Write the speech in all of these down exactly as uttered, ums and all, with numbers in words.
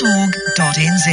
dot org dot N Z.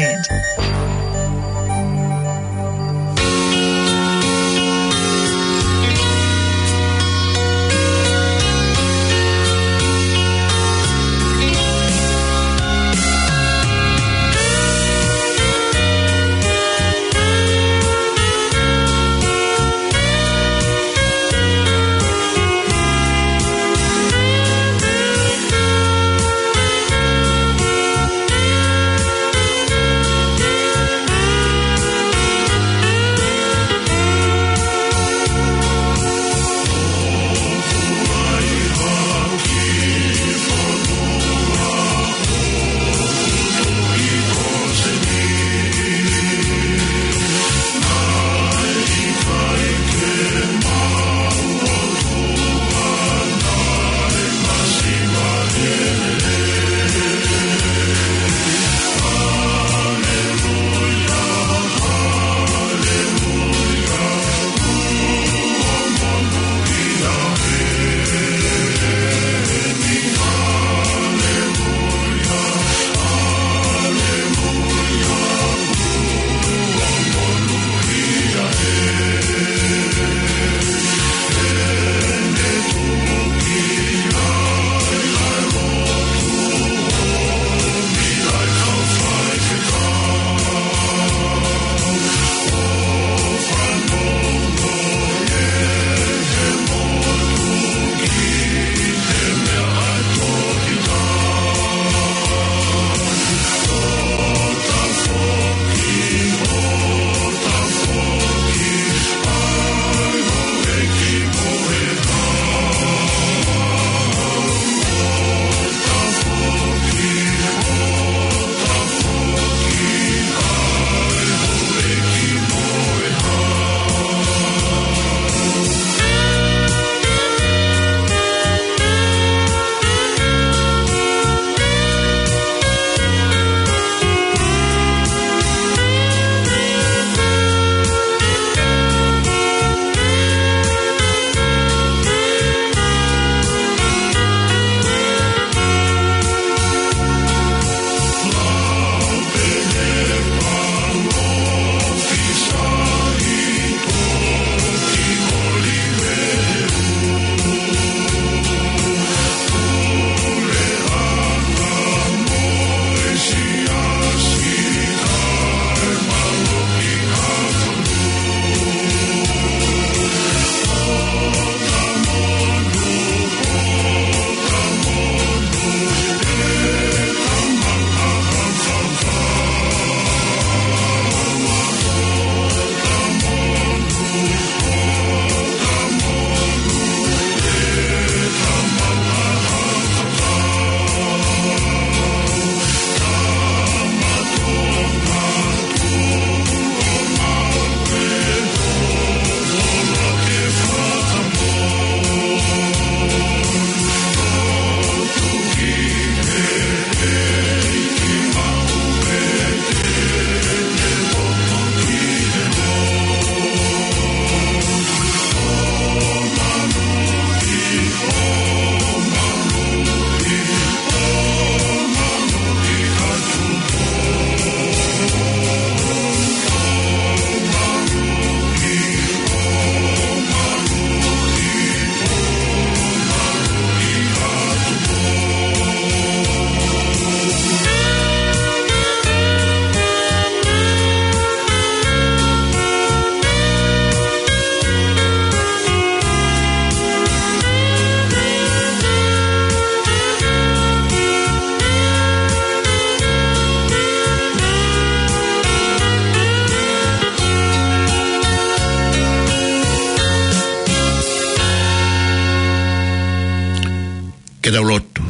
Ke tau lotu.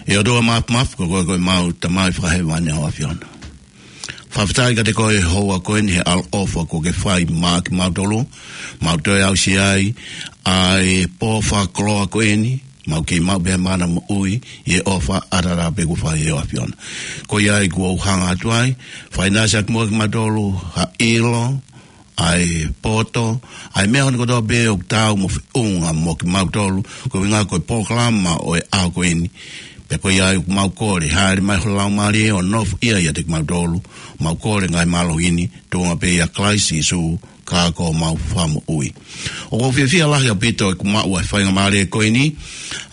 ʻE ʻOtua Māfimafi, ko koe ko ʻemau Tamai Fakahēvani ʻa e ʻAfiona. Fakafetaʻi kiate koe he houa ko eni he ʻaloʻofa kuo ke fai maʻa kimautolu, mau toe aʻusia ai ʻa e pō fakakoloa ko eni, mau kei maʻu pē mana moʻui ʻi he ʻofa ʻataʻatā pē kuo fai ʻe he ʻAfiona. Ko ia ai kuo u hanga atu ai, fai naʻa siʻaki muʻa kimautolu ha ʻilo, ʻa e poto, ʻa e meʻa hono kotoa pē ʻoku taau mo feʻunga mo kimautolu, ko e ʻuhinga ko e polokalama ʻo e ʻaho ko eni. Pea ko ia ai ʻoku mau kole, hāʻele mai ho Laumālie ʻo nofoʻia ʻiate kimautolu. Mau kole ngaahi mālohi ni, tuʻunga pē ʻia Kalaisi Sīsū, ka ko homau Fakamoʻui. ʻOku ou fiefia lahi ʻaupito ʻeku maʻu ʻa e faingamālie ko eni,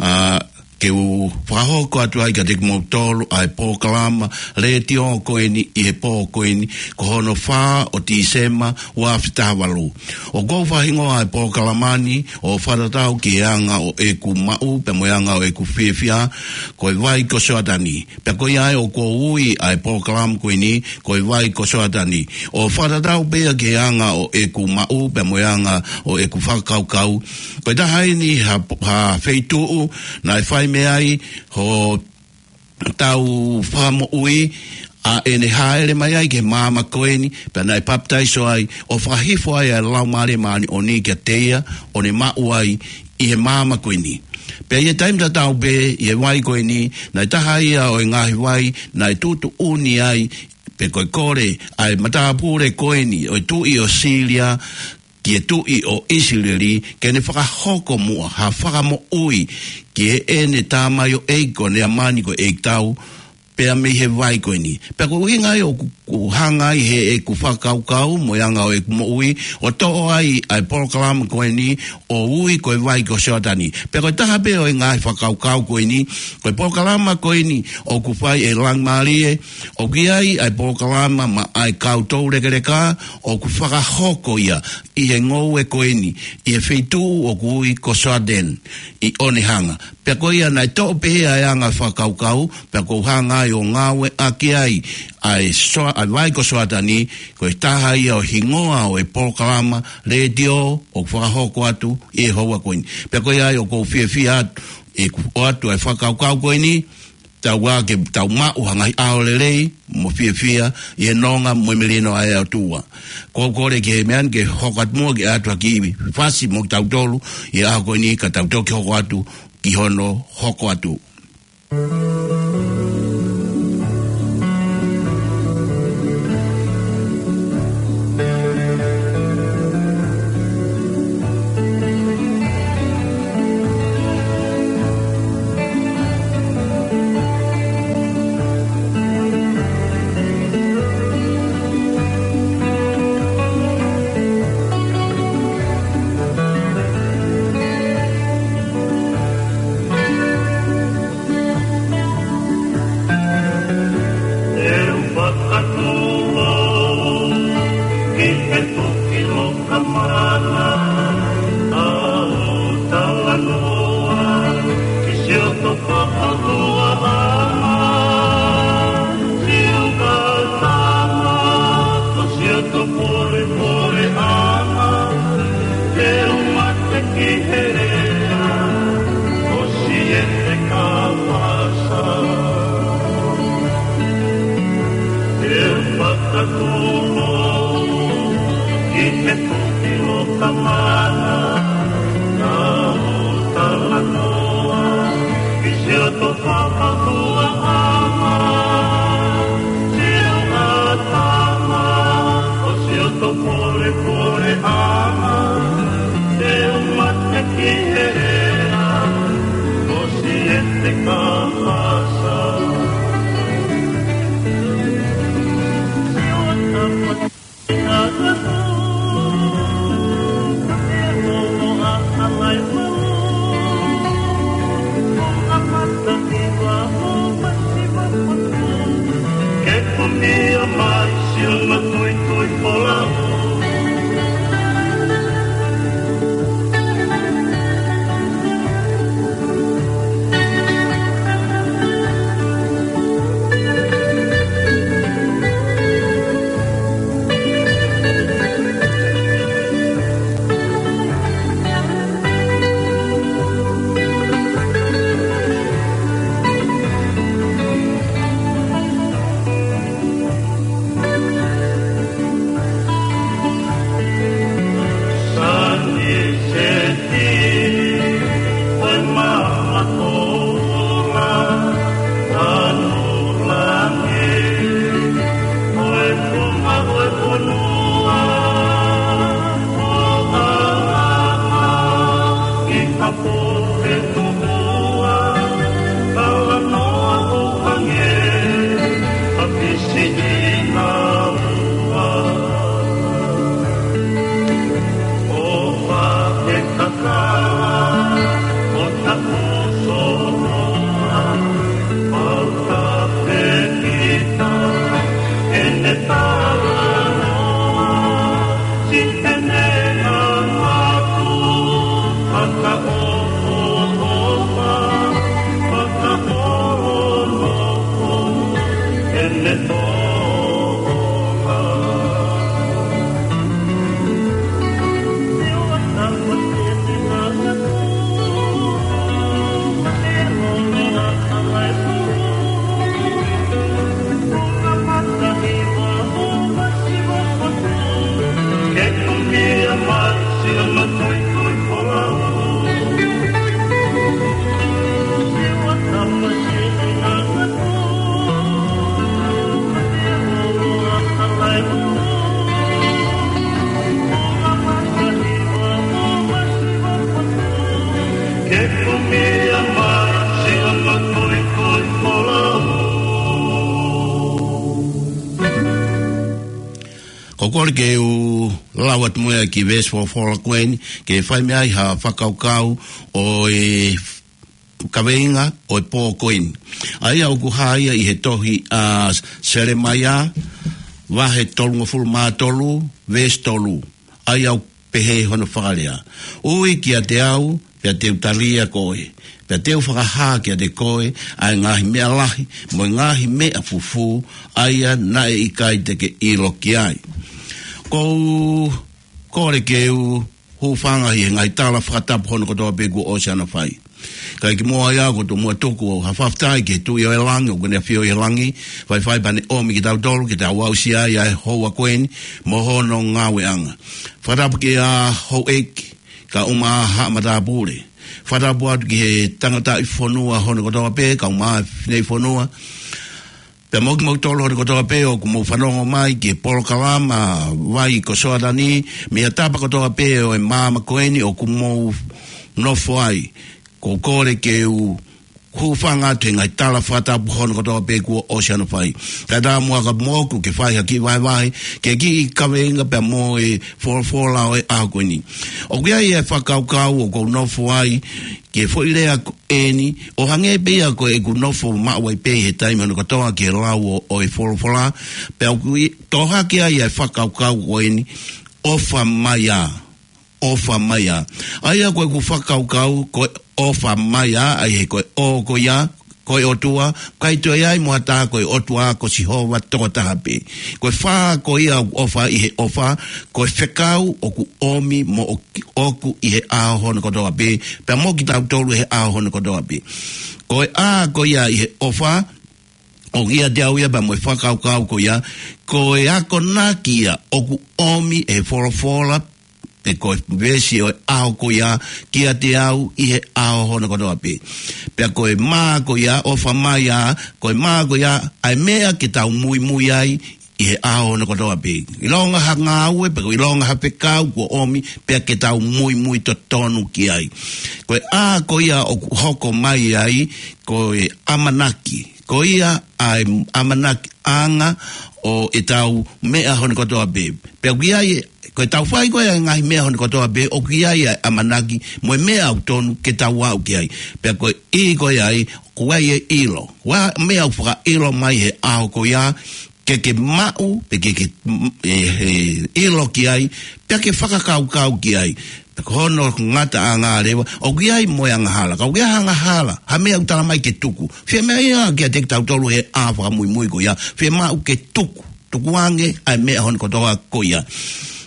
ʻa, ke u fakahoko atu ai kiate kimoutolu ʻa e polokalama letiō ko eni ʻi he pō ko eni, ko hono fā ʻo Tīsema, ua afe taha valu. ʻOku ou fakahingoa ʻa e polokalama ni ʻo Fakatatau ki he Anga ʻo ʻEku Maʻu pea mo e Anga ʻo ʻEku Fiefia, ko e Vai ko Soatani. Pea ko ia ai ʻoku ou ui ʻa e polokalama ko eni, ko e Vai ko Soatani. ʻO fakatatau pē ia ki he anga ʻo ʻeku maʻu, pea mo e anga ʻo ʻeku fakakaukau. Ko e taha eni ha, ha feituʻu naʻe fai mei ai hotau Fakamoʻui, ʻa ʻene hāʻele mai ai ki he māmani ko eni, pea naʻe papitaiso ai, ʻo fakahifo ai ʻa e Laumālie Māʻoniʻoni kiate ia, ʻo ne maʻu ai ʻi he māmani ko eni. Pea ʻi he taimi tatau pē, ʻi he vai ko eni, naʻe taha ia ʻo e ngaahi vai naʻe tuʻutuʻuni ai, pe ko e kole ʻa e matāpule ko eni ʻo e tuʻi ʻo Sīlia ki he tuʻi ʻo ʻIsileli, ke ne fakahoko muʻa ha fakamoʻui ki heʻene tamaioʻeiki ko Neamani ko e ʻeikitau, pea mei he vai ko eni. Pea ko e ʻuhinga ia ʻoku, ʻoku hanga ai heʻeku fakakaukau mo e anga ʻo ʻeku moʻui, ʻo toʻo ai ʻa e polokalama ko eni, ʻo ui ko e Vai ko Soatani. Pea ko e taha pē ʻo e ngaahi fakakaukau ko eni, ko e polokalama ko eni ʻoku fai ʻe Laumālie, ʻoku ʻi ai ʻa e polokalama maʻa e kau toulekeleka, ʻoku fakahoko ia ʻi he ngoue ko eni, ʻi he feituʻu ʻoku ui ko Soatani, ʻi Onehunga. Pea ko ia naʻe toʻo pē ʻa e anga fakakaukau, pea ʻoku ou hanga ai ʻo ngāueʻaki ai ʻa e Soa-, ʻa e Vai ko Soatani, ko e taha ia ʻo e hingoa ʻo e polokalama letiō ʻoku fakahoko atu ʻi he houa ko eni. Pea ko ia ai ʻoku ou fiefia atu, ʻeku ʻoatu ʻa e fakakaukau ko eni, tau ā ke tau maʻu ha ngaahi ʻaho lelei mo fiefia ʻi he nonga mo e melino ʻa e ʻOtua. Ko e kole ki he meʻa ni ke hoko atu muʻa ke ʻoatu ha kiʻi fasi mo kitautolu ʻi he ʻaho ko eni ka tau toki hoko atu ki hono hoko atu. ʻE u fakatūlo ki he toki loka mana, ʻa u talanoa ki siʻoto fakahua ʻana, siʻoto tama, ko siʻoto polepole ʻana, ʻe u mate ki he lea ʻo Siete Kapasa. ʻE u fakatūlo ki he toki loka mana, ʻa u talanoa ki siʻoto fakahua ʻana, siʻoto tama, ko siʻoto polepole ʻana, ʻe u mate ki he lea ʻo Siete Kapasa. Ko e kole ke u lau atu mo ia ki he veesi folofola ko eni, ke fai mei ai ha fakakaukau ʻo e kaveinga ʻo e pō ko eni. ʻA ia ʻoku hā ia ʻi he tohi ʻa Selemaia, vahe tolungofulu mā tolu, veesi tolu. ʻA ia ʻoku pehē hono fakalea: Ui kiate au, pea te u talia koe, pea te u fakahā kiate koe ʻa e ngaahi meʻa lahi, mo e ngaahi meʻa fufū, ʻa ia naʻe ʻikai te ke ʻilo ki ai. Ko u kole ke u hūfanga ʻi he ngaahi tala fakatapu hono kotoa pē kuo ʻosi ʻana fai. Kae kimuʻa ia, ko u tomuʻa tuku ha fakafetaʻi ki he Tuʻi ʻo e langi, ʻoku ne ʻafio ʻi he langi, faifai pea ne ʻomi kitautolu, ke tau aʻusia ai ʻa e houa ko eni, mo hono ngāueʻanga. Fakatapu kia Houʻeiki, kae ʻumaʻā haʻa matāpule. Fakatapu atu ki he tangataʻi fonua hono kotoa pē, kae ʻumaʻā e fineʻi fonua. Pea mo kimoutolu hono kotoa pē ʻoku mou fanongo mai ki he polokalama Vai ko Soatani, mei he tapa kotoa pē ʻo e māmani ko eni ʻoku mou nofo ai. Ko u kole ke u hūfanga atu he ngaahi tala fakatapu hono kotoa pē kuo ʻosi ʻana fai. Kae ʻatā muʻa ka moku ke fai ha kiʻi vahevahe, ki he kiʻi kaveinga pea mo e folofola ʻo e ʻaho ko eni. ʻOku ʻi ai e fakakaukau ʻoku ou nofo ai, ki he foʻi lea ko eni, ʻo hangē pē ia ko ʻeku nofo maʻu ai pē he taimi hono kotoa ki he lau ʻo, ʻo e folofola, pea ʻoku ʻi, tohoaki ai e fakakaukau ko eni, ʻofa mai ā, ʻofa mai ā. ʻA ia ko ʻeku fakakaukau, ko e ʻofa mai ā, ʻa ia he ko e ʻo ko ia, ko e ʻOtua, ʻikai toe ʻi ai mo ha taha ko e ʻOtua, ko Sihova tokotaha pē. Ko e fā ko ia ʻoku ʻofa ʻi he ʻofa, ko e fekau ʻoku ʻomi mo ʻoku, ʻoku ʻi he ʻaho hono kotoa pē, pea mo kitautolu he ʻaho hono kotoa pē. Ko e ʻa ko ia ʻi he ʻofa, ʻoku ʻiate au ia pea mo e fakakaukau ko ia, ko e akonaki ia ʻoku ʻomi ʻe he folofola, pe ko e veesi ʻo e ʻaho ko ia, kiate au ʻi he ʻaho hono kotoa pē. Pea ko e mā ko ia, ʻofa mai ā, ko e mā ko ia, ʻa e meʻa ke tau muimui ai ʻi he ʻaho hono kotoa pē. ʻIlonga ha ngāue, pe ko e ʻilonga ha fekau kuo ʻomi, pea ke tau muimui totonu ki ai. Ko e ʻa ko ia ʻoku hoko mai ai, ko e ʻamanaki. Ko ia ʻa e ʻamanakiʻanga ʻo ʻetau meʻa hono kotoa pē. Pea ʻoku ʻi ai, ko ʻetau fai ko ia e ngaahi meʻa hono kotoa pē, ʻoku ʻi ai ʻa e ʻamanaki mo e meʻa ʻoku tonu ke tau aʻu ki ai. Pea ko e ʻi ko ia ai, ʻoku ʻi ai e ʻilo. Ko e meʻa ʻoku fakaʻilo mai he ʻaho ko ia, ke ke maʻu, pe ke ke, mm, e, e, ʻilo ki ai, pea ke fakakaukau ki ai. Pea ko hono ngataʻanga leva, ʻoku ʻi ai mo e angahala. Ka ʻoku ʻi ai ha angahala, ha meʻa ʻoku tala mai ke tuku. Fiemaʻu ia kiate kitautolu he ʻaho fakamuimui ko ia, fiemaʻu ke tuku. Tukuange ʻa e meʻa hono kotoa ko ia.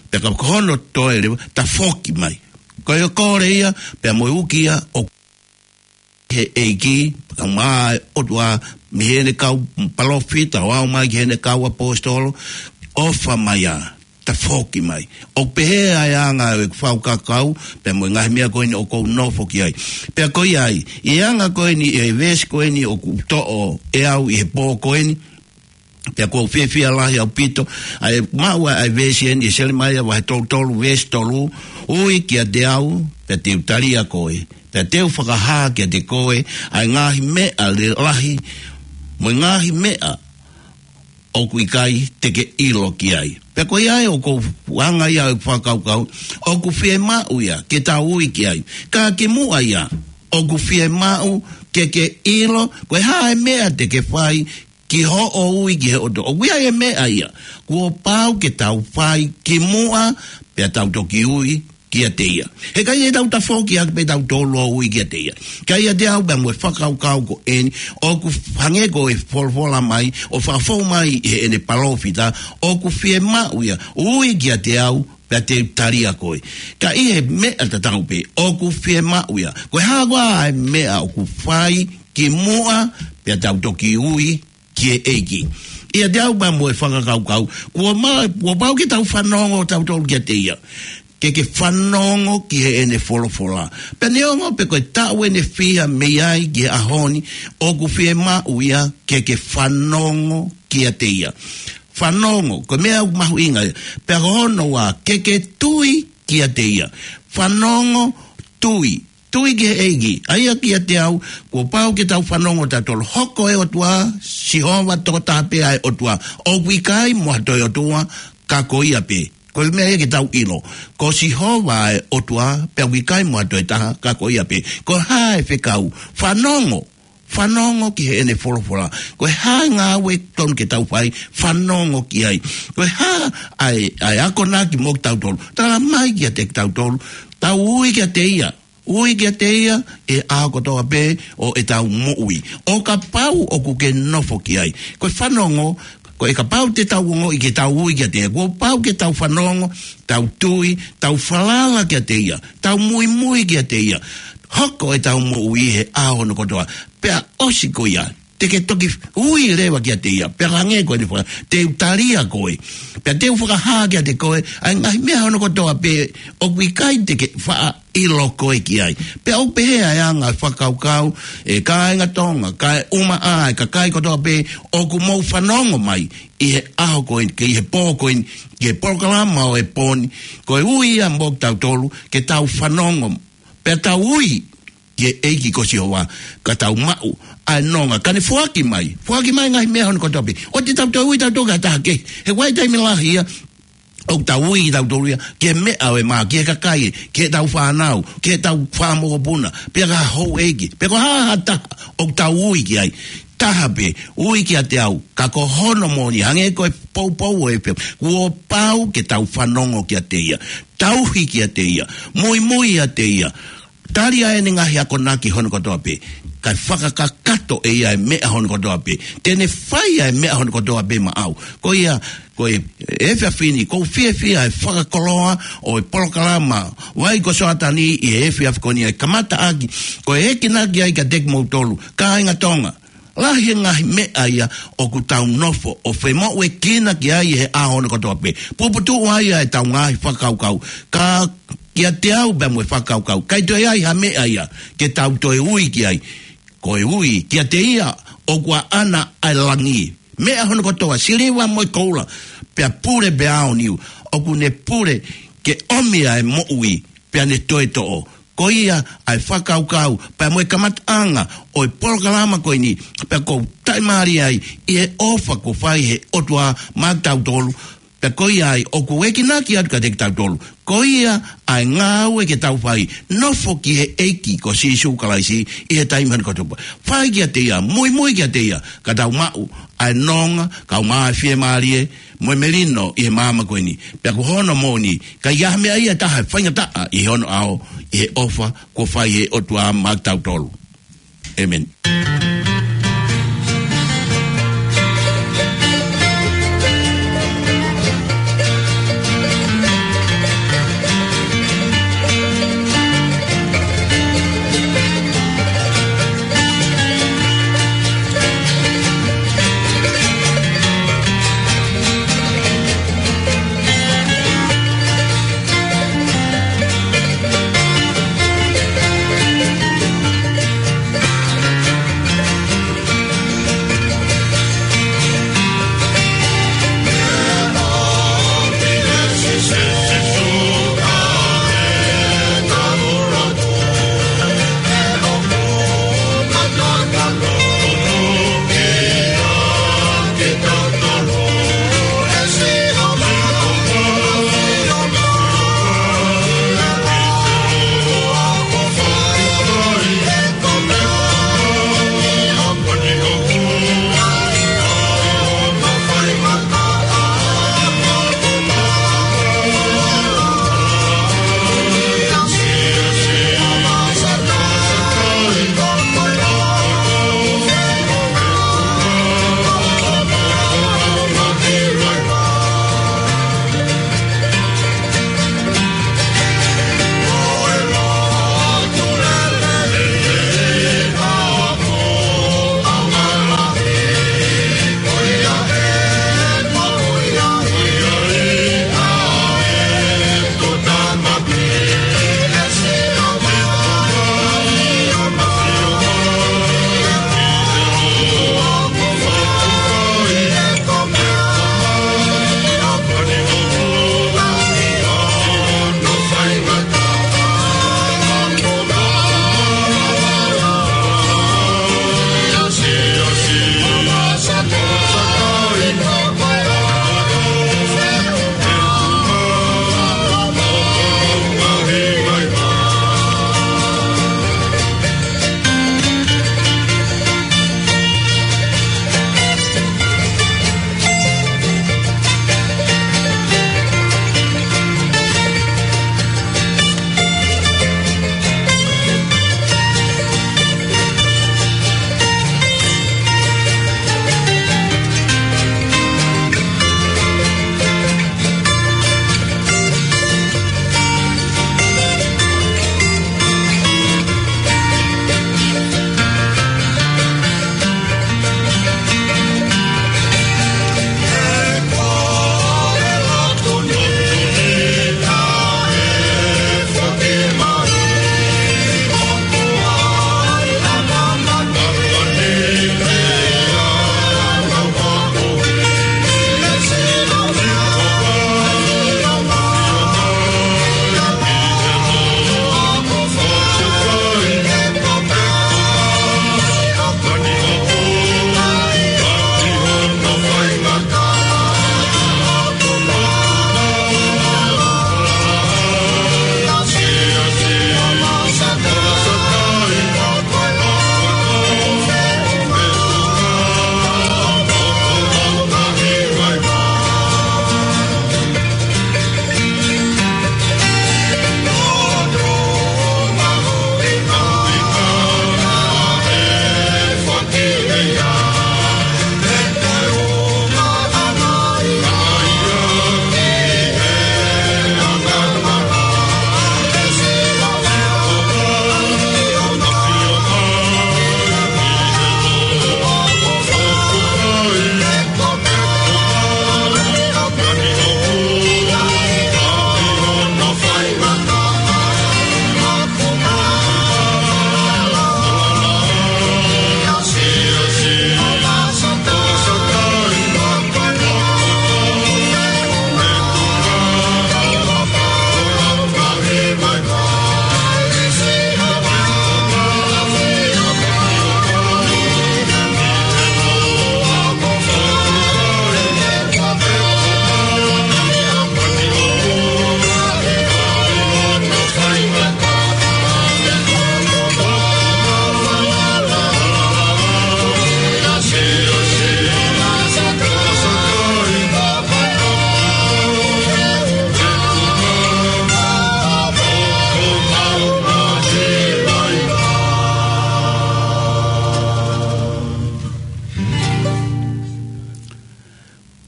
Pea ka ko hono toe leva, tafoki mai. Ko e kole ia, pea mo e uki ia, ʻo he ʻEiki, pea mo e ʻOtua, mei heʻene kau palōfita, ʻo aʻu mai ki heʻene kau ʻaposetolo, ʻofa mai ā, tafoki mai. ʻOku pehē ʻa e anga ʻo e fakakaukau, pea mo e ngaahi meʻa ko eni ʻoku ou nofo ki ai. Pea ko ia ai, ʻi he anga ko eni, ʻi he veesi ko eni ʻoku toʻo ʻe au ʻi he pō ko eni, pea ʻoku ou fiefia lahi ʻaupito, ʻa e maʻu ʻa e veesi eni, ʻi Selemaia vahe tolu tolu, veesi tolu: Ui kiate au, pea te u talia koe, pea te u fakahā kiate koe ʻa e ngaahi meʻa lalahi, mo e ngaahi meʻa ʻoku ʻikai te ke ʻilo ki ai. Pea ko ia ai ʻoku ou anga ia ʻo e fakakaukau, ʻoku fiemaʻu ia ke tau ui ki ai. Ka kimuʻa ia, ʻoku fiemaʻu ke ke ʻilo, ko e hā e meʻa te ke fai, ki hoʻo ui ki he ʻOtua. ʻOku ʻi ai e meʻa ia kuo pau ke tau fai kimuʻa, pea tau toki ui kiate ia. He ʻikai ke tau tafoki ʻaki pē tautolu ʻo ui kiate ia. Ka ʻiate au pea mo e fakakaukau ko eni, ʻoku hangē ko e folofola mai, ʻo fakafou mai ʻi heʻene palōfita, ʻoku fiemaʻu ia, ui kiate au, pea te u tali ʻa koe. Ka ʻi he meʻa tatau pē, ʻoku fiemaʻu ia. Ko e hā koā ʻa e meʻa ʻoku fai kimuʻa, pea tau toki ui ki he ʻEiki. ʻIate au pea mo e fakakaukau, kuo ma-, kuo pau ke tau fanongo tautolu kiate ia. Ke ke fanongo ki heʻene folofola. Pea neongo pē ko e taʻu ʻe fiha mei ai ki he ʻaho ni, ʻoku fiemaʻu ia ke ke fanongo kiate ia. Fanongo, ko e meʻa ʻoku mahuʻinga ia. Pea ko hono ua, ke ke tui kiate ia. Fanongo, tui. Tui ki he ʻEiki. ʻA ia kiate au, kuo pau ke tau fanongo tautolu. Hoko e ʻOtua, Sihova tokotaha pē ʻa e ʻOtua. ʻOku ʻikai mo ha toe ʻotua, ka ko ia pē. Ko e meʻa ia ke tau ʻilo. Ko Sihova ʻa e ʻOtua, pea ʻoku ʻikai mo ha toe taha, ka ko ia pē. Ko e hā e fekau? Fanongo. Fanongo ki heʻene folofola. Ko e hā e ngāue tonu ke tau fai? Fanongo ki ai. Ko e hā ʻa e, ʻa e akonaki mo kitautolu? Tala mai kiate kitautolu. Tau ui kiate ia. Ui kiate ia ʻi he ʻaho kotoa pē ʻo ʻetau moʻui. ʻO kapau ʻoku ke nofo ki ai. Ko e fanongo, ko e kapau te tau ongoʻi ke tau ui kiate ia. Kuo pau ke tau fanongo, tau tui, tau falala kiate ia. Tau muimui kiate ia. Hoko ʻetau moʻui he ʻaho hono kotoa. Pea ʻosi ko ia, te ke toki ui leva kiate ia. Pea hangē ko eni fua, te u tali ʻa koe. Pea te u fakahā kiate koe ʻa e ngaahi meʻa hono kotoa pē ʻoku ʻikai te ke faʻa ʻilo koe ki ai. Pea ʻoku pehē ʻa e anga e fakakaukau, ʻe kāinga Tonga, kae ʻumaʻā e kakai kotoa pē ʻoku mou fanongo mai ʻi he ʻaho ko eni, ke ʻi he pō ko eni, ki he polokalama ʻo e pō ni, ko e ui ia mo kitautolu, ke tau fanongo, pea tau ui ki he ʻEiki ko Sihova, ka tau maʻu ʻa e nonga, ka ne foaki mai, foaki mai ngaahi meʻa hono kotoa pē. ʻOua te tau toe ui tautolu ki ha taha kehe. He ʻoku ʻi ai e taimi lahi ia, ʻoku tau ui kitautolu ia ki he meʻa ʻo e mā, ki he kakai, ki heʻetau fānau, ki heʻetau fanga mokopuna, pea ki ha houʻeiki, pea ko ha, ha taha ʻoku tau ui ki ai. Taha pē, ui kiate au, ka ko hono moʻoni, hangē ko e poupou ʻo e efiafi, kuo pau ke tau fanongo kiate ia, tauhi kiate ia, muimui kiate ia, tali ʻa ʻene ngaahi akonaki hono kotoa pē, kae fakakakato ʻe ia e meʻa hono kotoa pē. Te ne fai ʻa e meʻa hono kotoa pē maʻau. Ko ia, ko e efiafi ni, ʻoku ou fiefia he fakakoloa ʻo e polokalama Vai ko Soatani ʻi he efiafi ko eni, ʻa e kamataʻaki, ko e ekinaki ai kiate kimoutolu, kāinga Tonga. Lahi e ngaahi meʻa ia ʻoku tau nofo ʻo femoʻuekina ki ai he ʻaho hono kotoa pē. Puputuʻu ai ʻa ʻetau ngaahi fakakaukau. Ka kiate au pea mo e fakakaukau, ʻikai toe ʻi ai ha meʻa ia ke tau toe ui ki ai. Ko e ui kiate ia ʻoku ʻaʻana ʻa e langi. Meʻa hono kotoa, siliva mo e koula, pea pule pea aoniu, ʻoku ne pule ke ʻomi ʻa e moʻui, pea ne toe toʻo. Ko ia ʻa e fakakaukau, pea mo e kamataʻanga ʻo e polokalama ko eni, pea ʻoku ou talitali ai ʻi he ʻofa kuo fai he ʻOtua maʻa kitautolu, pea ko ia ai ʻoku ekinaki atu kiate kitautolu. Ko ia ʻa e ngāue ke tau fai, nofo ki he ʻEiki ko Sīsū Kalaisi ʻi he taimi hono kotoa pē. Fai kiate ia, muimui kiate ia, ka tau maʻu ʻa e nonga, kau mā fiemālie, mo e melino ʻi he māmani ko eni. Pea ko hono moʻoni, ʻikai ha meʻa ia ʻe taha ʻe faingataʻa ʻi hono ʻao, ʻi he ʻofa kuo fai he ʻOtua maʻa kitautolu. ʻĒmeni.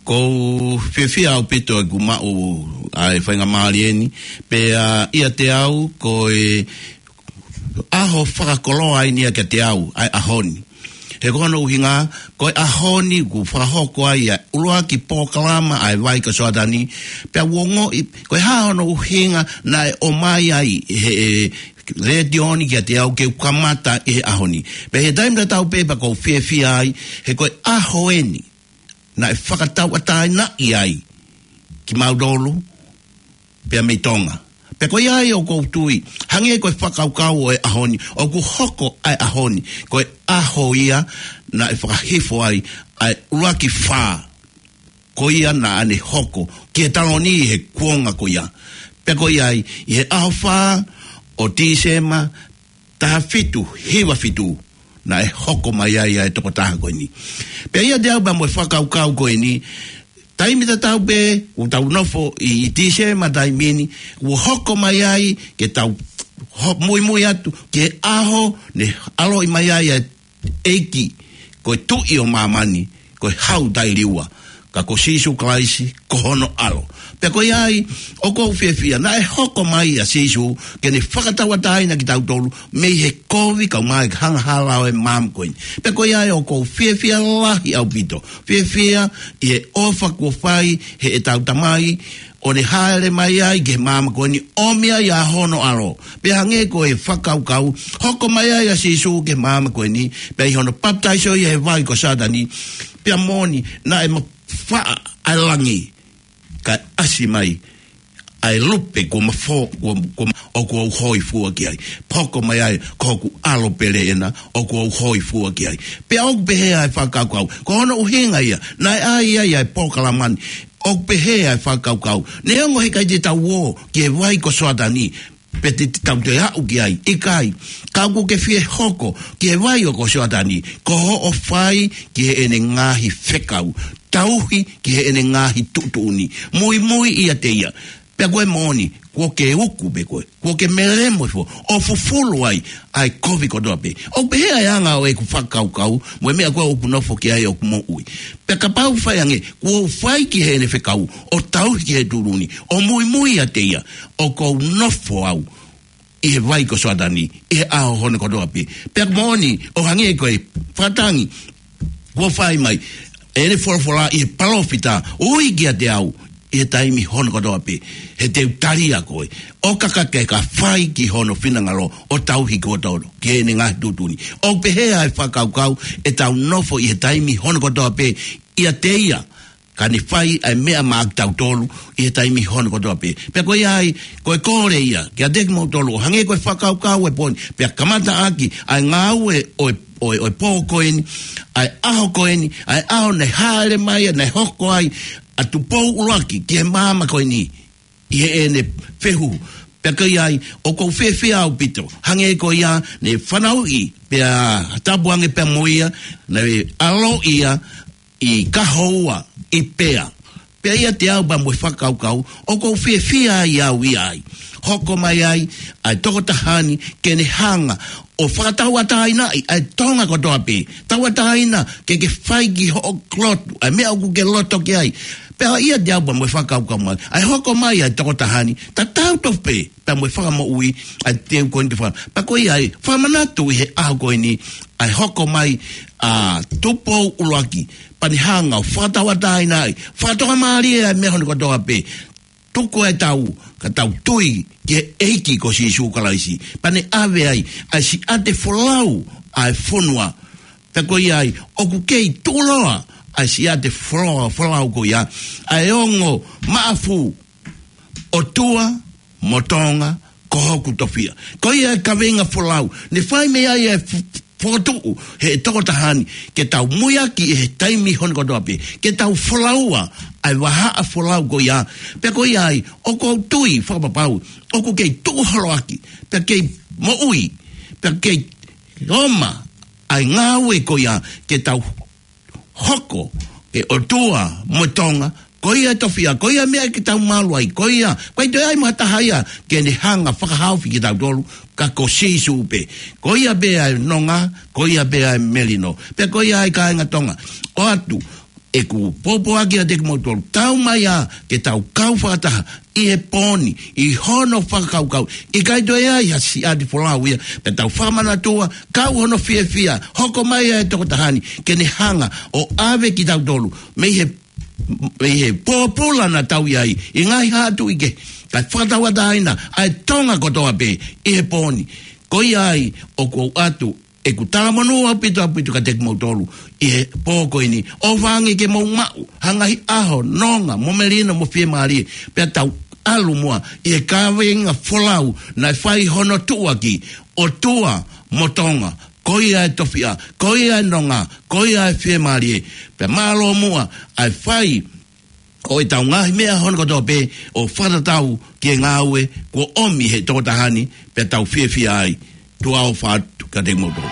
ʻOku ou fiefia ʻaupito ʻeku maʻu ʻa e faingamālie ni, pea ʻiate au ko e ʻaho fakakoloa eni ia kiate au, ʻa e ʻaho ni. He ko hono ʻuhinga, ko e ʻaho ni kuo fakahoko ai ʻa e ʻuluaki polokalama ʻa e Vai ko Soatani, pea u ongoʻi, ko e hā hono ʻuhinga naʻe ʻomai ai he, e, letiō ni kiate au ke u kamata ʻi he ʻaho ni. Pea he taimi tatau pē pea ʻoku ou fiefia ai, he ko e ʻaho eni naʻe fakatauʻatāinaʻi ai kimautolu, pea mei Tonga. Pea ko ia ai ʻoku ou tui, hangē ko e fakakaukau ʻo e ʻaho ni, ʻoku hoko ʻa e ʻaho ni ko e ʻaho ia naʻe fakahifo ai ʻa e ʻuluaki fā ko ia naʻa ne hoko ki he taloni he kuonga ko ia. Pea ko ia ai, ʻi he ʻaho fā ʻo Tīsema, taha fitu hiva fitu, naʻe hoko mai ai ʻa e tokotaha ko eni. Pea ʻiate au pea mo e fakakaukau ko eni, taimi tatau pē, ʻoku tau nofo ʻi, ʻi Tīsema taimi ni, ʻoku hoko mai ai ke tau ho-, muimui atu ki he ʻaho ne ʻaloʻi mai ai ʻa e ʻEiki, ko e Tuʻi ʻo māmani, ko e Hau Taʻeliua, ka ko Sīsū Kalaisi ko hono ʻAlo. Pea ko ia ai, ʻoku ou fiefia, naʻe hoko mai ʻa Sīsū ke ne fakatauʻatāina kitautolu mei he kovi kae ʻumaʻā e angahala ʻo e maama ko eni. Pea ko ia ai, ʻoku ou fiefia lahi ʻaupito, fiefia ʻi he ʻofa kuo fai heʻetau Tamai, ʻo ne hāʻele mai ai ki he maama ko eni, ʻomi ai ʻa hono ʻAlo. Pea hangē ko e fakakaukau, hoko mai ai ʻa Sīsū ki he maama ko eni, pea ʻi hono papitaiso ia he Vai ko Soatani, pea moʻoni, naʻe mafaʻa ʻa e langi, kae ʻasi mai ʻa e lupe kuo mafo-, kuo, kuo, ʻoku ou hōifua ki ai. Hoko mai ai, ko hoku ʻAlo pele ena, ʻoku ou hōifua ki ai. Pea ʻoku pehē ʻa e fakakaukau, ko hono ʻuhinga ia naʻe ʻai ai ʻa e polokalama ni, ʻoku pehē ʻa e fakakaukau, neongo he ʻikai te tau ō ki he Vai ko Soatani, pe te, te tau toe aʻu ki ai, ʻikai. Ka ʻoku ke fie hoko ki he Vai ʻo ko Soatani, ko hoʻo fai ki heʻene ngaahi fekau, tauhi ki heʻene ngaahi tuʻutuʻuni, muimui ʻiate ia. Pea ko e moʻoni, kuo ke uku pē koe, kuo ke melemo hifo, ʻo fufulu ai ʻa e kovi kotoa pē. ʻOku pehē ʻa e anga ʻo ʻeku fakakaukau mo e meʻa ko ē ʻoku ou nofo ki ai ʻi hoku moʻui. Pea kapau fai ange, kuo u fai ki heʻene fekau, ʻo tauhi ki he tuʻutuʻuni, ʻo muimui ʻiate ia, ʻoku ou nofo au ʻi he Vai ko Soatani ʻi he ʻaho hono kotoa pē. Pea ko e moʻoni, ʻo hangē ko e fakatangi kuo fai mai ʻe he folofola ʻi he palōfita, ui kiate au ʻi he taimi hono kotoa pē, he te u tali ʻa koe, ʻo ka ke ka fai ki hono finangalo, ʻo tauhi kitautolu ki heʻene ngaahi tuʻutuʻuni. ʻOku pehē ʻa e fakakaukau, ʻetau nofo ʻi he taimi hono kotoa pē ʻiate ia, ka ne fai ʻa e meʻa maʻa kitautolu ʻi he taimi hono kotoa pē. Pea ko ia ai, ko e kole ia kiate kimoutolu, ʻo hangē ko e fakakaukau ʻo e pō ni, pea kamata ʻaki ʻa e ngāue ʻo e, ʻo e, ʻo e pō ko eni, ʻa e ʻaho ko eni, ʻa e ʻaho naʻe hāʻele mai ai, naʻe hoko ai ʻa Tupou ʻUluaki ki he maama ko eni ʻi heʻene fehuhu. Pea ko ia ai, ʻoku ou fiefia ʻaupito, hangē ko ia ne fanauʻi, pea tapu ange pea mo ia, naʻe ʻaloʻi ia ʻi Kahoua ʻi Pea. Pea ʻiate au pea mo e fakakaukau, ʻoku ou fiefia ai au ia ai. Hoko mai ai ʻa e tokotaha ni ke ne hanga ʻo fakatauʻatāinaʻi ʻa e Tonga kotoa pē. Tauʻatāina ke ke fai ki hoʻo lotu ʻa e meʻa ʻoku ke loto ki ai. Pea ʻiate au pea mo e fakakaukau mai, ʻa e hoko mai ʻa e tokotaha ni, tatau tofu pē pea mo e Fakamoʻui, ʻa e teu ko eni te faka-, pea ko ia ai, fakamanatu ʻi he ʻaho ko eni, ʻa e hoko mai ʻa Tupou ʻUluaki, pea ne hanga ʻo fakatauʻatāinaʻi, fakatokamālie ʻa e meʻa hono kotoa pē. Tuku ʻetau, ka tau tui ki he ʻEiki ko Sīsū Kalaisi, pea ne ʻave ai ʻa e siʻate folau ʻa e fonua. Pea ko ia ai, ʻoku kei tuʻuloa ʻa e siʻate folau, folau ko ia, ʻa e ongo maʻafu, ʻOtua mo Tonga, ko hoku tofiʻa. Ko ia e kaveinga folau ne fai mei ai e f-, fokotuʻu ʻe he tokotaha ni, ke tau muiaki ʻi he taimi hono kotoa pē, ke tau folaua ʻa e vahaʻa folau ko ia. Pea ko ia ai, ʻoku ou tui fakapapau, ʻoku kei tuʻu holoaki, pea kei moʻui, pea kei ʻoma ʻa e ngāue ko ia, ke tau hoko ki he ʻOtua mo Tonga, ko ia e tofiʻa, ko ia e meʻa ke tau malu ai, ko ia, ʻikai toe ʻi ai mo ha taha ia ke ne hanga ʻo fakahaofi kitautolu, ka ko Sīsū pē. Ko ia pē ʻa e nonga, ko ia pē ʻa e melino. Pea ko ia ai kāinga Tonga, ʻoatu ʻeku pōpoaki atu kiate kimoutolu, tau mai ā ke tau kau fakataha ʻi he pō ni, ʻi hono fakakaukau. ʻIkai toe ʻi ai ha siʻi ʻati folau ia, pea tau fakamanatua, kau hono fiefia, hoko mai ʻa e tokotaha ni, ke ne hanga ʻo ʻave kitautolu mei he, mei he pōpula naʻa tau ʻi ai, ʻi he ngaahi haʻa tuʻi kehe, kae fakatauʻatāina ʻa e Tonga kotoa pē ʻi he pō ni. Ko ia ai ʻoku ou ʻoatu ʻeku talamonū ʻaupito ʻaupito kiate kimoutolu ʻi he pō ko eni, ʻo feinga ke mou maʻu ha ngaahi ʻaho nonga mo melino mo fiemālie, pea tau ʻalu muʻa ʻi he kaveinga folau naʻe fai hono tuʻuaki, ʻOtua mo Tonga, ko ia e tofiʻa, ko ia e nonga, ko ia e fiemālie. Pea mālō muʻa ʻa e fai ʻo ʻetau ngaahi meʻa hono kotoa pē ʻo fakatatau ki he ngāue kuo ʻomi he tokotaha ni, pea tau fiefia ai. Tuʻa ʻofa atu kiate kimoutolu.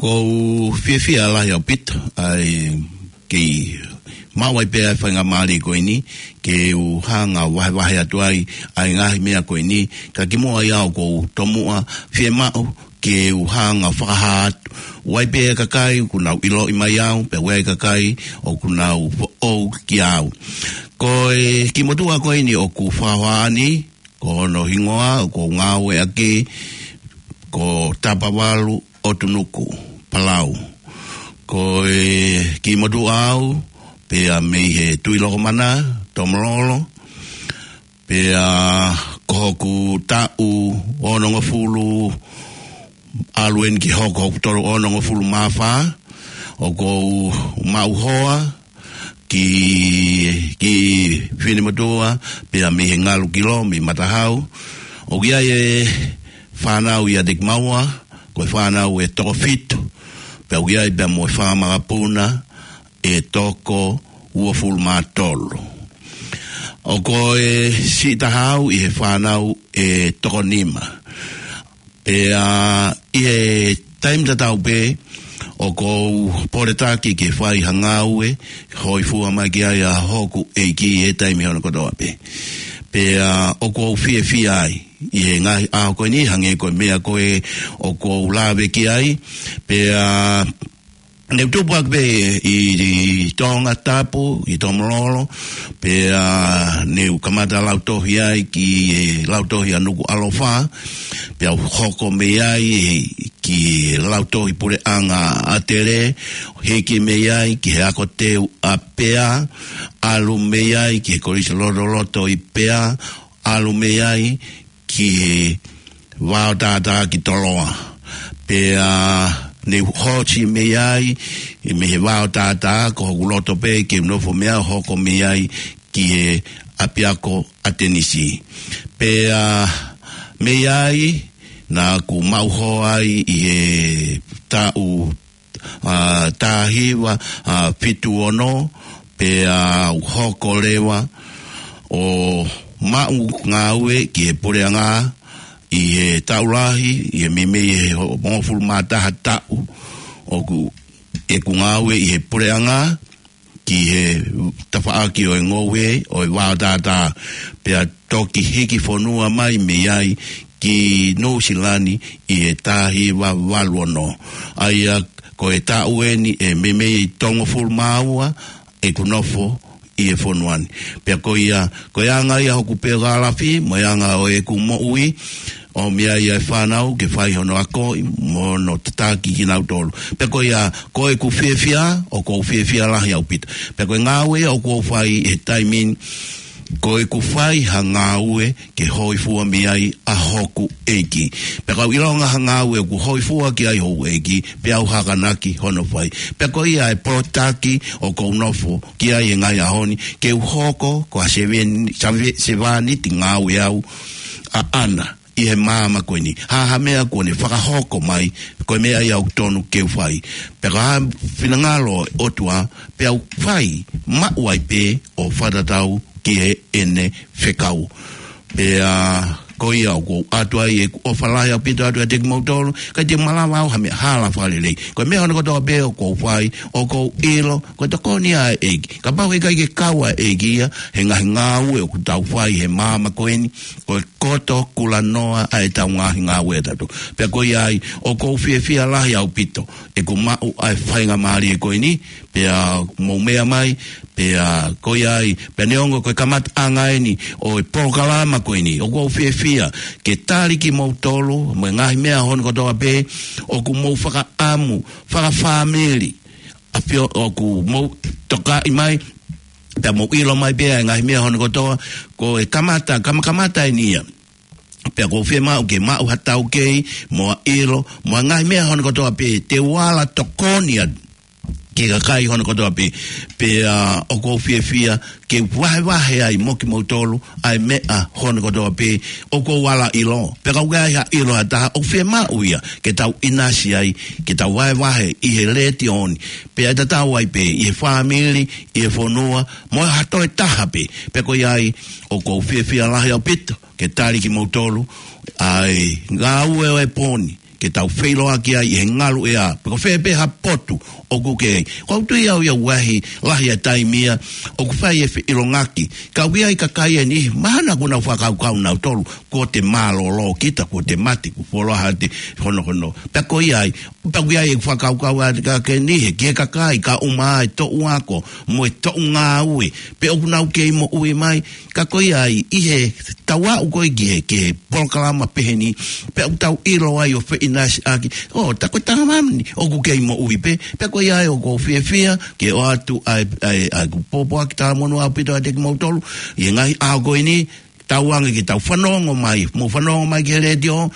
ʻOku ou fiefia lahi ʻaupito, ʻa e kei maʻu ai pē ʻa e faingamālie ko eni, ke u hanga ʻo vahevahe atu ai, ʻa e ngaahi meʻa ko eni, ka kimuʻa ia ʻoku ou tomuʻa fiemaʻu, ke u hanga ʻo fakahā atu. ʻOku ʻi ai pē ʻa e kakai, ʻoku nau ʻiloʻi mai au, pea ʻoku ʻi ai ʻa e kakai, ʻoku nau foʻou kiate au. Ko e kiʻi motuʻa ko eni ʻoku ou fakahohaʻa ni, ko hono hingoa, ʻoku ou ngāueʻaki, ko Tapavalu ʻOtunuku, Palau. Ko e kiʻi motuʻa au, pea mei he Tuʻilokomana, Tomololo, pea ko hoku taʻu onongofulu, ʻalu eni ki hoku, hoku tolu onongofulu mā fā, ʻoku ou maʻu hoa, kiʻi, kiʻi finemotuʻa, pea mei he Ngalukilo, mei Matahau. ʻOku ʻi ai e fānau ʻiate kimaua, ko e fānau ʻe toko fitu, pea ʻoku ʻi ai pea mo e fanga makapuna ʻe toko uofulu mā tolu. ʻOku ou siʻi taha au ʻi he fānau ʻe toko nima. Pea ʻi he taimi tatau pē, ʻoku ou poletaki ke fai ha ngāue, hōifua mai ki ai ʻa hoku ʻEiki ʻi he taimi hono kotoa pē. Pea ʻoku ou fiefia ai, ʻi he ngaahi ʻaho ko eni, hangē ko e meʻa ko ē ʻoku ou lave ki ai, pea ne u tupu ʻaki pē ʻi, ʻi Tongatapu, ʻi Tomololo, pea ne u kamata lautohi ai ki he lautohi ʻa Nukuʻalofa, pea u hoko mei ai ki he lautohi puleʻanga ʻa ʻAtele, hiki mei ai ki he ako teu ʻa Pea, ʻalu mei ai ki he Kolisi Lotoloto ʻi Pea, ʻalu mei ai ki he Vao Tātā ki Toloa. Pea ne u hoti mei ai, mei he Vao Tātā, ko hoku loto pē ke u nofo mei ai, hoko mei ai ki he ʻapiako ʻa Tenisi. Pea mei ai, naʻa ku maʻu hoa ai ʻi he taʻu ʻa, taha hiva, ʻa, fitu ono, pea u hoko leva ʻo maʻu ngāue ki he puleʻanga ʻi he taʻu lahi, ʻi he meimei he ho-, hongofulu mā taha taʻu ʻoku, ʻeku ngāue ʻi he puleʻanga, ki he tafaʻaki ʻo e ngoue ʻo e Vao Tātā, pea toki hiki fonua mai mei ai ki Nuʻusila ni ʻi he taha hiva valu ono. ʻA ia ko e taʻu eni ʻe meimei toko hongofulu mā ua ʻeku nofo ʻi he fonua ni. Pea ko ia, ko e anga ia hoku peogalafi, mo e anga ʻo ʻeku moʻui, ʻomi ai ʻa e fānau ke fai hono akoʻi, mo hono tataki kinautolu. Pea ko ia, ko ʻeku fiefia, ʻoku ou fiefia lahi ʻaupito. Pea ko e ngāue ʻoku ou fai he taimi ni, ko ʻeku fai ha ngāue ke hōifua mei ai ʻa hoku ʻEiki. Pea ka u ʻilonga ha ngāue ʻoku hōifua ki ai hoku ʻEiki, pea u hakanaki hono fai. Pea ko ia e pōtaki ʻoku ou nofo ki ai he ngaahi ʻaho ni, ke u hoko ko ha seveni-, save-, sevāniti ngāue au ʻaʻana ʻi he māmani ko eni. Ha, ha meʻa kuo ne fakahoko mai, ko e meʻa ia ʻoku tonu ke u fai. Pea ko ha finangalo ʻo e ʻOtua, pea u fai, maʻu ai pē ʻo fakatatau ki heʻene fekau. Pea ko ia ʻoku ou ʻoatu ai ʻeku ʻofa lahi ʻaupito atu kiate kimoutolu, ʻikai te u malava au ha meʻa hala fakalelei. Ko e meʻa hono kotoa pē ʻoku ou fai, ʻoku ou ʻilo, ko e tokoni ia ʻa e ʻEiki. Kapau he ʻikai ke kau ʻa e ʻEiki ia he ngaahi ngāue ʻoku tau fai he māmani ko eni, ko e koto kulanoa ʻa ʻetau ngaahi ngāue ʻatautolu. Pea ko ia ai, ʻoku ou fiefia lahi ʻaupito ʻeku maʻu ʻa e faingamālie ko eni, pea mou meʻa mai, pea ko ia ai, pea neongo ko e kamataʻanga eni ʻo e polokalama ko eni, ʻoku ou fiefia ke tali kimoutolu mo e ngaahi meʻa hono kotoa pē ʻoku mou fakaʻamu, fakafāmili, ʻafio ʻoku mou tokaʻi mai, pea mou ʻilo mai pē ʻa e ngaahi meʻa hono kotoa, ko e kamata, kamakamata eni ia. Pea ʻoku ou fiemaʻu ke maʻu ha taukei, mo ha ʻilo, mo e ngaahi meʻa hono kotoa pē, te u ala tokoni atu ki he kakai hono kotoa pē. Pea ʻoku ou fiefia ke vahevahe ai mo kimoutolu ʻa e meʻa hono kotoa pē ʻoku ou ala ʻilo. Pea ka ʻoku ʻi ai ha ʻilo ha taha ʻoku fiemaʻu ia ke tau ʻinasi ai, ke tau vahevahe ʻi he letiō ni. Pea ʻe tatau ai pē ʻi he fāmili, ʻi he fonua, mo ha toe taha pē. Pea ko ia ai, ʻoku ou fiefia lahi ʻaupito ke tali kimoutolu ʻa e ngāue ʻo e pō ni, ke tau feʻiloaki ai ʻi he ngalu ʻea. Pe ko fē pē ha potu ʻoku ke ʻi ai. ʻOku ou tui au ia ʻoku lahi, lahi ʻa e taimi ia ʻoku fai e feʻiloaki. Ka ʻoku ʻi ai e kakai ʻe niʻihi, mahalo ʻoku nau fakakaukau nautolu, kuo te mālōlō kita, kuo te mate, kuo fuoloa ha te honohono. Pea ko ia ai, pea ʻoku ʻi ai e fakakaukau ʻa e kakai ʻe niʻihi, ki he kakai, ka ʻuma e toʻu ako, mo e toʻu ngāue, pe ʻoku nau kei moʻui mai, ka ko ia ai, ʻi heʻetau aʻu ko ē ki he, ki he polokalama pehē ni, pea ʻoku tau ʻilo ai ʻo feʻinasiʻaki, ʻo, tā ko e tangata ni, ʻoku kei moʻui pē, pea ko ia ai ʻoku ou fiefia, ke ʻoatu ai, ai, ai, ʻeku pōpoaki talamonū ʻaupito ʻiate kimoutolu, ʻi he ngaahi ʻaho ko eni, tauange ke tau fanongo mai, mou fanongo mai ki he letiō,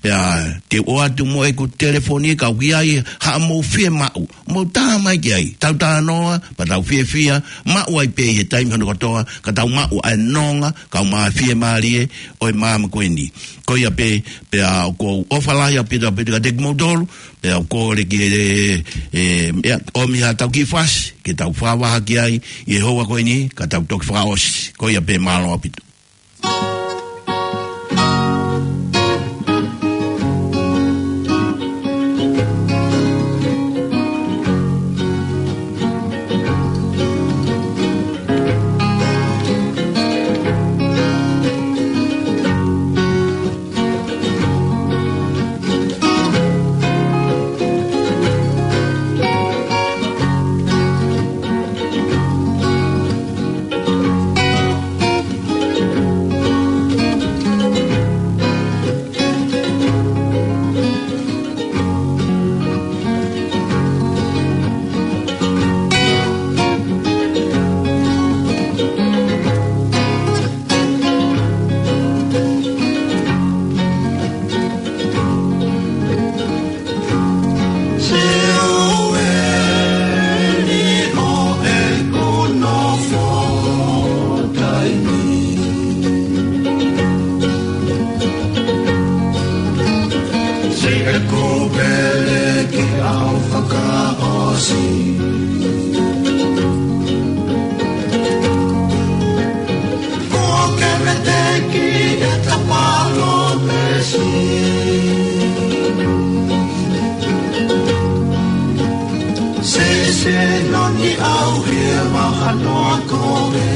pea te u ʻoatu mo ʻeku telefoni ka ʻoku ʻi ai haʻamou fiemaʻu, mou tā mai ki ai, tau talanoa, pea tau fiefia, maʻu ai pē ʻi he taimi hono kotoa, ka tau maʻu ʻa e nonga, kae ʻumaʻā e fiemālie ʻo e māmani ko eni. Ko ia pē, pea ʻoku ou ʻofa lahi ʻaupito ʻaupito kiate kimoutolu, pea ʻoku ou kole ki he, e, e, ʻomi haʻatau kiʻi fasi, ke tau fakavaha ki ai, ʻi he houa ko eni, ka tau toki fakaʻosi, ko ia pē mālō ʻaupito. Ko ke veteki e ta palōmesi. Sese noni au he mahalo ko e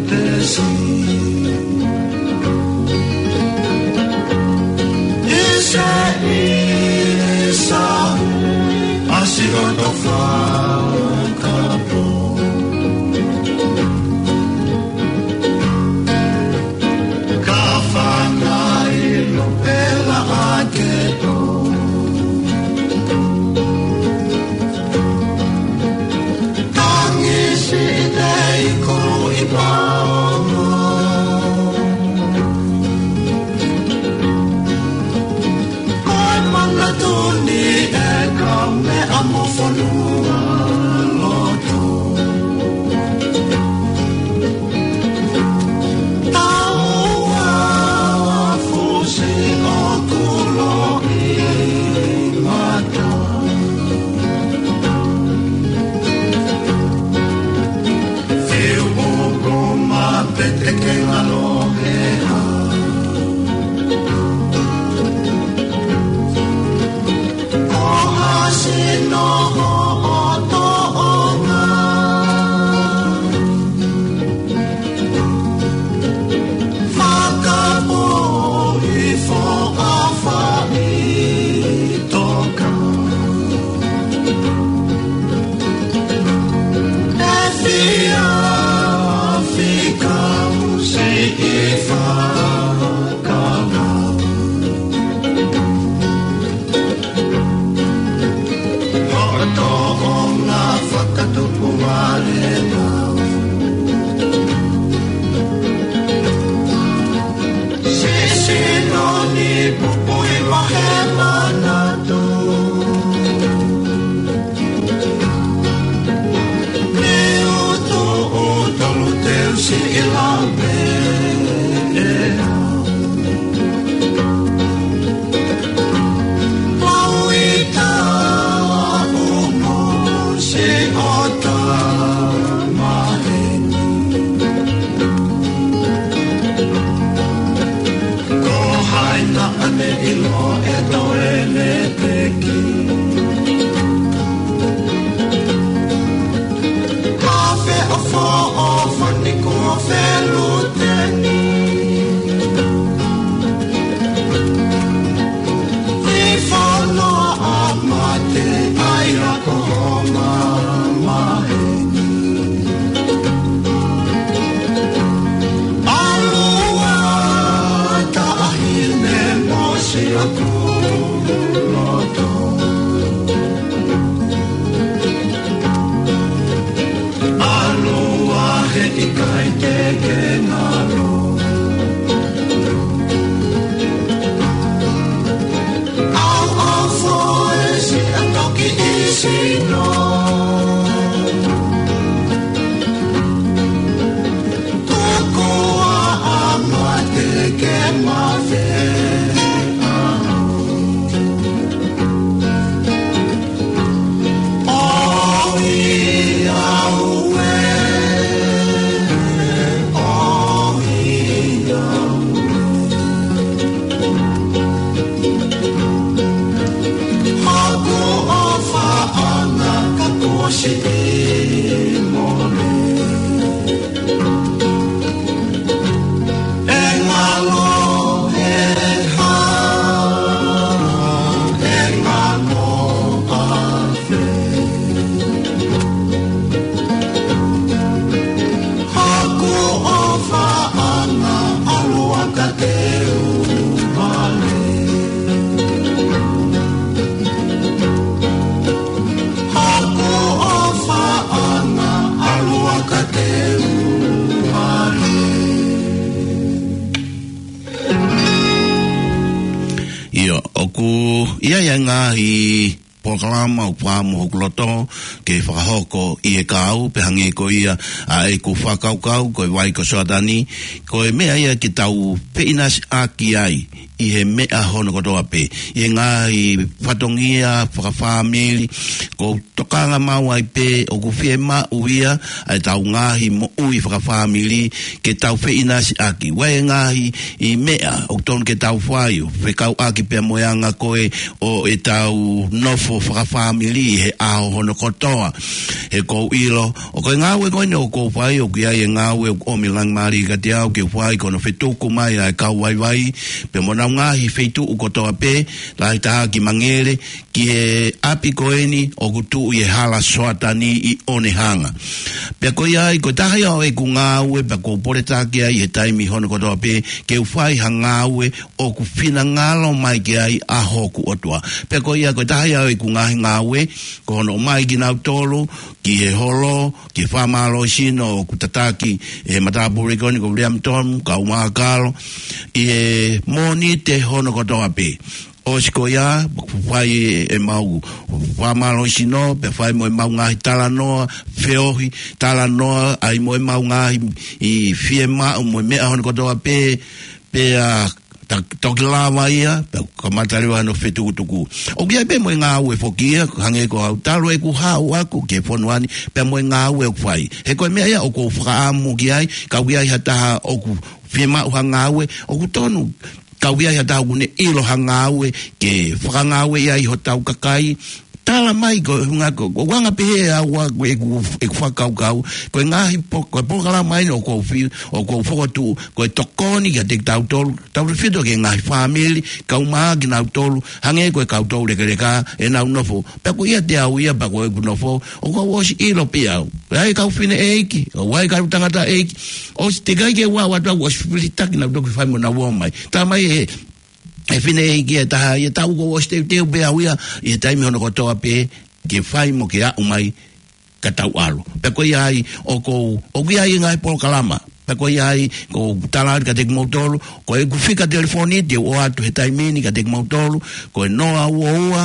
tesi. Isa, isa, asi o no fakapo. Ka fangai lo pela ake to. Tangi si nei ko ʻI ai ʻa e ngaahi polokalama ʻoku ʻi hoku loto ke fakahoko ʻi he kahaʻu, pea hangē ko ia ʻa ʻeku fakakaukau, ko e vai ko Soatani, ko e meʻa ia ke tau feʻinasiʻaki ai ʻi he meʻa hono kotoa pē. ʻI he ngaahi fatongia fakafāmili, ʻoku ou tokanga maʻu ai pē ʻoku fiemaʻu ia ʻa ʻetau ngaahi moʻui fakafāmili ke tau feʻinasiʻaki. ʻOku ʻi ai e ngaahi meʻa ʻoku tonu ke tau fai ʻo fekauʻaki pea mo e anga ko ē ʻo ʻetau nofo fakafāmili ʻi he ʻaho hono kotoa. He ʻoku ou ʻilo, ʻa e ngāue ko eni ʻoku ou fai, ʻoku ʻi ai e ngāue ʻoku ʻomi e langilangi kiate au ke fai, ko hono fetuku mai ʻa e kau vaivai pea mo honau ngaahi feituʻu kotoa pē, lahi taha ki Mangere, ki he ʻapi ko eni ʻoku tuʻu ʻi he hala Soatani ʻi Onehunga. Pea ko ia ai, ko e taha ia ʻo ʻeku ngāue, pea ʻoku ou poletaki ai he taimi hono kotoa pē ke u fai ha ngāue ʻoku finangalo mai ki ai ʻa hoku ʻOtua. Pea ko ia, ko e taha ia ʻo ʻeku ngaahi ngāue, ko hono ʻomai kinautolu ki he holo, ki he fakamālohisino ʻoku tataki ʻe he matāpule ko eni ko Williamton, kau mākalo, ʻi he Mōnite hono kotoa pē. ʻOsi ko ia, fai ʻemau fakamālohisino, pea fai mo ʻemau ngaahi talanoa, feohi, talanoa, ʻa ia mo ʻemau ngaahi fiemaʻu, mo e meʻa hono kotoa pē, pea ta-, toki lava ia, pea kamata leva hono fetukutuku. ʻOku ʻi ai pē mo e ngāue foki ia, hangē ko au talu ʻeku haʻu atu ki he fonua ni, pea mo e ngāue ʻoku fai. He ko e meʻa ia ʻoku ou fakaʻamu ki ai, ka ʻoku ʻi ai ha taha ʻoku fiemaʻu ha ngāue, ʻoku tonu, ka ʻoku ʻi ai ha taha ʻoku ne ʻilo ha ngāue ke fakangāueʻi ai hotau kakai, tala mai ko e ʻuhinga ko, ko e anga pehē ʻa au ʻeku, ʻeku fakakaukau, ko e ngaahi po-, ko e polokalama eni ʻoku ou fi-, ʻoku ou fokotuʻu, ko e tokoni kiate kitautolu, tautefito ki he ngaahi fāmili, kau mai kinautolu, hangē ko e kau toulekeleka, ʻenau nofo. Pea ko ia te au ia, pea ko ʻeku nofo, ʻoku ou ʻosi ʻilo pē au. ʻA e kau fineʻeiki, ʻa e kau tangataʻeiki, ʻosi teʻeki ai ke u ʻalu atu au ʻosi filitaki naʻa ku toki fai mo nau ō mai. Tā mai ʻe he fineʻeiki ʻe taha ia, tā ʻoku ou ʻosi teuteu pē au ia, ʻi he taimi hono kotoa pē, ke fai mo ke aʻu mai ka tau ʻalu. Pea ko ia ai, ʻoku ou, ʻoku ʻi ai e ngaahi polokalama. Pea ko ia ai, ʻoku ou tala atu kiate kimoutolu, ko ʻeku fika telefoni, te u ʻoatu he taimi ni kiate kimoutolu, ko e noa ua ua,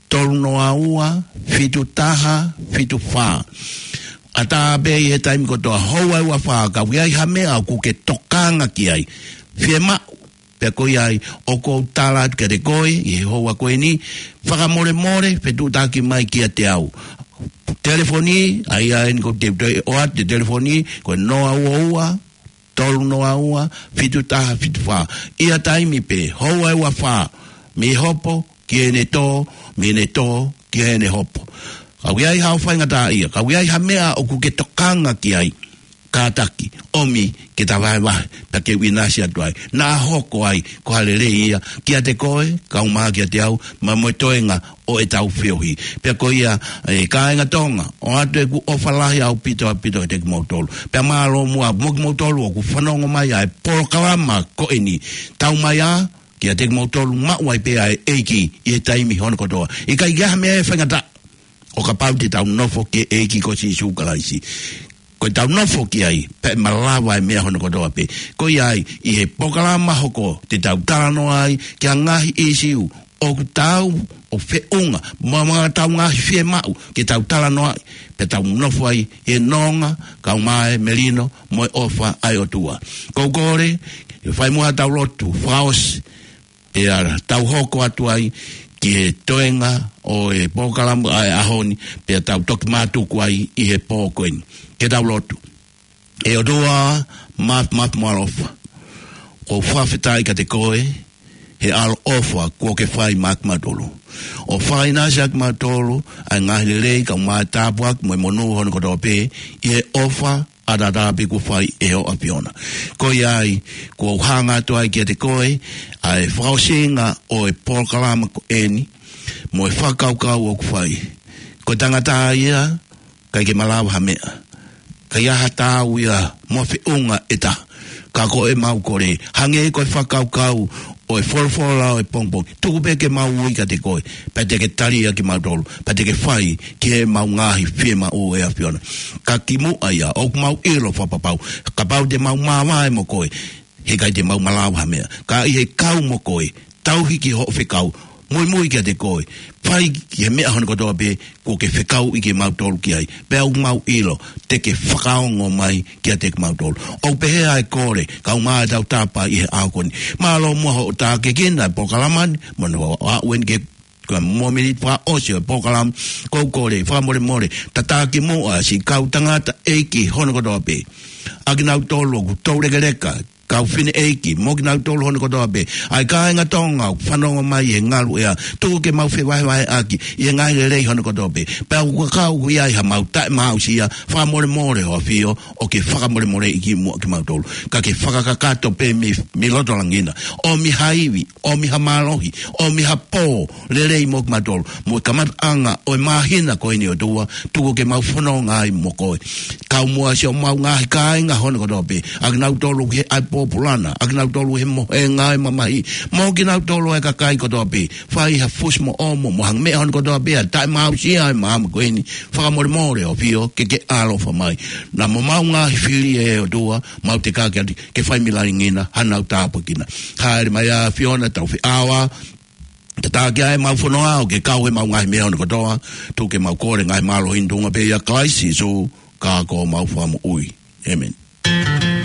tolu noa ua, fitu taha, fitu fā. ʻAtā pē ʻi he taimi kotoa, houa ʻe ua fā, ka ʻoku ʻi ai ha meʻa ʻoku ke tokanga ki ai. Fiemaʻu, pea ko ia ai, ʻoku ou tala atu kiate koe, ʻi he houa ko eni, fakamolemole, fetuʻutaki mai kiate au. Telefoni, ʻa ia eni ʻoku te, te ʻoatu e telefoni, ko e noa ua ua, tolu noa ua, fitu taha fitu fā. ʻI ha taimi pē, houa ʻe ua fā, mei he hopo, ki heʻene tō, mei heʻene tō, ki heʻene hopo. Ka ʻoku ʻi ai haʻo faingataʻaʻia, ka ʻoku ʻi ai ha meʻa ʻoku ke tokanga ki ai, kātaki, ʻomi ke ta vahevahe, pea ke u ʻinasi atu ai. Naʻa hoko ai, ko ha lelei ia, kiate koe, kau mai kiate au, pea mo e toenga ʻo ʻetau feohi. Pea ko ia, ʻe kāinga Tonga, ʻoatu ʻeku ʻofa lahi ʻaupito ʻaupito kiate kimoutolu. Pea mālō muʻa mo kimoutolu ʻoku fanongo mai ʻa e polokalama ko eni. Tau mai ā, kiate kimoutolu maʻu ai pē ʻa e ʻEiki ʻi he taimi hono kotoa. ʻIkai ke ʻi ai ha meʻa ʻe faingataʻa ʻo kapau te tau nofo ki he ʻEiki ko Sīsū Kalaisi. Ko ʻetau nofo ki ai, pea ʻe malava e meʻa hono kotoa pē. Ko ia ai, ʻi he polokalama hoko, te tau talanoa ai ki he ngaahi ʻīsiu ʻoku tau ʻo feʻunga, mo e ngaahi, ʻetau ngaahi fiemaʻu, ke tau talanoa ai, pea tau nofo ai he nonga, kau mai e melino, mo e ʻofa ʻa e ʻOtua. Ko u kole, ke fai muʻa haʻatau lotu fakaʻosi, pea tau hoko atu ai ki he toenga ʻo e polokalama ʻa e ʻaho ni, pea tau toki mātuku ai ʻi he pō ko eni. Ke tau lotu. ʻE ʻOtua, Mafimafi mo ʻAlofa. ʻOku ou fakafetaʻi kiate koe, he ʻaloʻofa kuo ke fai maʻa kimautolu. ʻO fakaʻinasi ʻa kimautolu, ʻa e ngaahi lelei, kau mai e tāpuaki, mo e monū hono kotoa pē, ʻi he ʻofa, ʻataʻatā pē kuo fai ʻe ho ʻAfiona. Ko ia ai, ʻoku ou hanga atu ai kiate koe, ʻa e fakaʻosinga ʻo e polokalama ko eni, mo e fakakaukau ʻoku fai. Ko e tangata ia, ʻikai ke malava ha meʻa. ʻIkai ha taau ia mo ha feʻunga ʻe taha. Ka ko ʻemau kole, hangē ko e fakakaukau ʻo e folofola ʻo e pongipongi. Tuku pē ke mau ui kiate koe, pea te ke tali ʻa kimautolu, pea te ke fai ki heʻemau ngaahi fiemaʻu ʻe ʻAfiona. Ka kimuʻa ia, ʻoku mau ʻilo fakapapau, kapau te mau māvae mo koe, heʻikai te mau malava ha meʻa. Ka ʻi he kau mo koe, tauhi ki hoʻo fekau, muimui kiate koe, fai ki he meʻa hono kotoa pē kuo ke fekauʻi kimautolu ki ai, pea ʻoku mau ʻilo te ke fakaongo mai kiate kimautolu. ʻOku pehē ʻa e kole, kau mai ʻetau tāpuaki he ʻaho ko eni. Mālō muʻa hoʻo tākiekina e polokalama ni, mo hoʻo aʻu eni ki he, ko e miniti fakaʻosi ʻo e polokalama, ʻoku ou kole fakamolemole, tataki muʻa siʻi kau tangataʻeiki hono kotoa pē, ʻa kinautolu ʻoku toulekeleka, kau fineʻeiki, mo kinautolu hono kotoa pē, ʻa e kāinga Tonga ʻoku fanongo mai he ngaluʻea, tuku ke mau fevahevaheʻaki ʻi he ngaahi lelei hono kotoa pē. Pea ʻoku kau ʻoku ʻi ai haʻamau taʻemaaʻusia, fakamolemole ho ʻAfio, ʻoku ke fakamolemoleʻi kimuʻa kimautolu. Ka ke fakakakato pē mei, mei loto langi na, ʻomi ha ivi, ʻomi ha mālohi, ʻomi ha pō lelei mo kimautolu, mo e kamataʻanga ʻo e māhina ko eni ʻOtua, tuku ke mau fononga ai mo koe. Kau muʻa siʻomau ngaahi kāinga hono kotoa pē, ʻa kinautolu he ʻai pōpula na, ʻa kinautolu he mohenga ʻa e mamahi, mo kinautolu ʻa e kakai kotoa pē, fai ha fusi mo ʻomo, mo ha meʻa hono kotoa pē ʻa taʻemaaʻusia ʻa e māmani ko eni, fakamolemole ʻAfio, ke ke ʻaloʻofa mai. Naʻa mo ʻemau ngaahi fili ʻe ʻOtua, mau tekaki atu ke fai mei langi na hanau tāpuekina. Hāʻele mai ʻAfio ʻo tau feʻao, tataki ʻa ʻemau fononga ʻo ke kau heʻemau ngaahi meʻa hono kotoa, tuku ke mau kole ngaahi mālohi ni, tuʻunga pē ʻia Kalaisi Sīsū, ka ko homau Fakamoʻui. ʻĒmeni.